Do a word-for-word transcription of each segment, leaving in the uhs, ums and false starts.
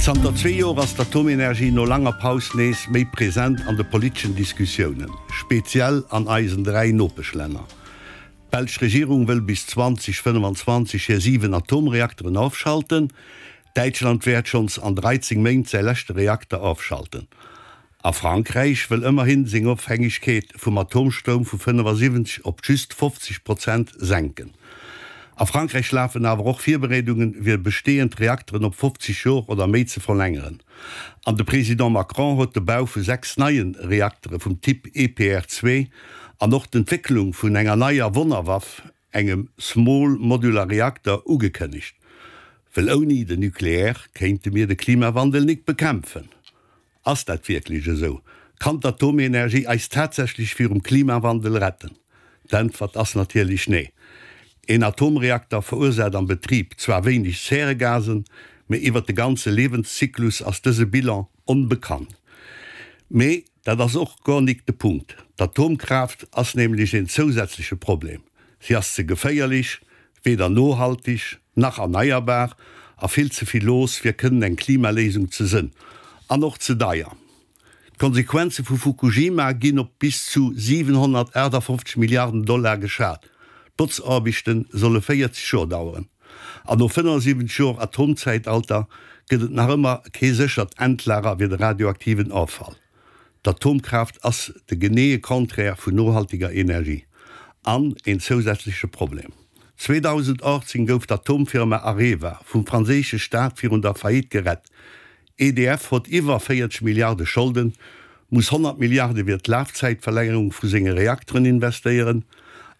Zanter zwee Joer ass d'Atomenergie no langer Paus nees méi present an de politeschen Diskussiounen, speziell an eisen dräi Nopeschlänner. D'belsch Regierung wëll bis zweedausendfënnefenzwanzeg hir siwen Atomreakteren ofschalten. Däitschland wäert schonns an dräizéng Méint säi leschte Reakter ofschalten. A Frankräich wëll ëmmerhin seng Ofhängegkeet vum Atomstroum vu fënnefasiwwenzeg op just fofzeg Prozent senken. A Frankräich lafen awer och Virbereedungen, fir bestehend Reakteren op fofzeg Joer oder méi ze verlängeren. An de President Macron huet de Bau vu sechs neie Reaktere vum Typ E P R zwee an och d'Entwécklung vun enger neier Wonnerwaff, engem Small Modular Reactor, ugekënnegt. Well ouni den Nucléaire kéinte mir de Klimawandel nik bekämpfen. Ass dat wierklech esou? Kann d'Atomenergie eis tatsächlech virum Klimawandel retten? D'Äntwert ass natierlech nee. Een Atomreakter verursaacht am Betrib zwar wéineg Zäregasen, mee iwwert de ganze Liewenszyklus ass dëse Bilan onbekannt. Mee dat ass och guer nik de Punkt. D'Atomkraaft ass nämlech een zousätzleche Problem. Si ass ze geféierlech, weder nohalteg nach erneierbar a vill ze vill looss fir kënnen eng Klimaléisung ze sënn. An och ze deier. D'Konsequenze vu Fukushima ginn op bis zu siwenhonnertaachtafoffzeg Milliarden Dollar geschat. D'Botzaarbechte solle véierzeg Joer daueren. An no fënnefasiwwenzeg Joer Atomzäitalter gëtt et nach ëmmer kee séchert Endlager fir de radioaktiven Offall. D'Atomkraaft ass de geneeë Contraire vun nohalteger Energie. An een zousätzleche Problem. zweedausendachtzéng gouf d'Atomfirma Areva vum franséische Staat virun der Faillite gerett. E D F huet iwwer véierzeg Milliarde Scholden, muss honnert Milliarde fir d'Lafzäitverlängerung vu senge Reakteren investéieren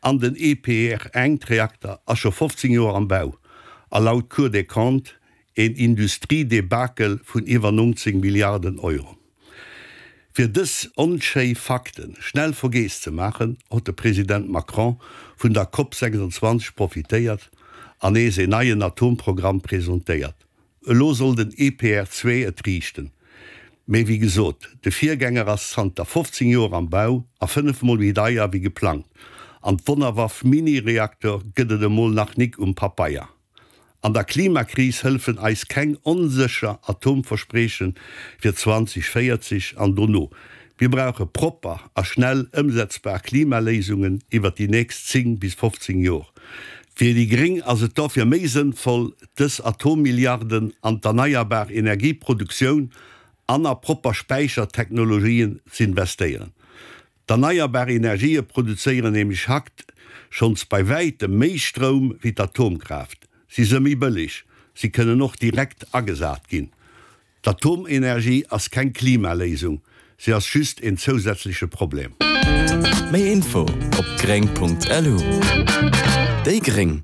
an den E P R-eent-Reakter ass scho fofzéng Joer am Bau a laut Cour des Comptes een Industriedebakel vun iwwer nonzéng Milliarden Euro. Fir dës onschéi Fakte schnell vergiess ze maachen, huet de President Macron vun der Cop sechsundzwanzeg profitéiert an nees een neien Atomprogramm presentéiert. Elo soll den E P R zwee et riichten. Mee wéi gesot, de Virgänger ass zanter fofzéng Joer am Bau a fënnef mol méi deier wéi geplangt. An d'Wonnerwaff Mini-Reaktor gëtt et emol nach nik um Papeier. An der Klimakris hëllefen eis keng onsécher Atomversprieche fir zweedausendvéierzeg an dono. Mir brauche propper a schnell ëmsetzbar Klimaléisungen iwwer déi nächst zéng bis fofzéng Joer. Fir déi Gréng ass et dofir méi sënnvoll, dës Atommilliarden an d'erneierbar Energieproduktioun an a propper Späichertechnologien z'investéieren. D'erneierbar Energië produzéieren nämlech haut schonns bei wäitem méi Stroum wéi d'Atomkraaft. Si si méi bëlleg, si kënnen och direkt agesat ginn. D'Atomenergie ass keng Klimaléisung, si ass just een zousätzleche Problem. Méi Info op gréng Punkt lu. Déi gréng.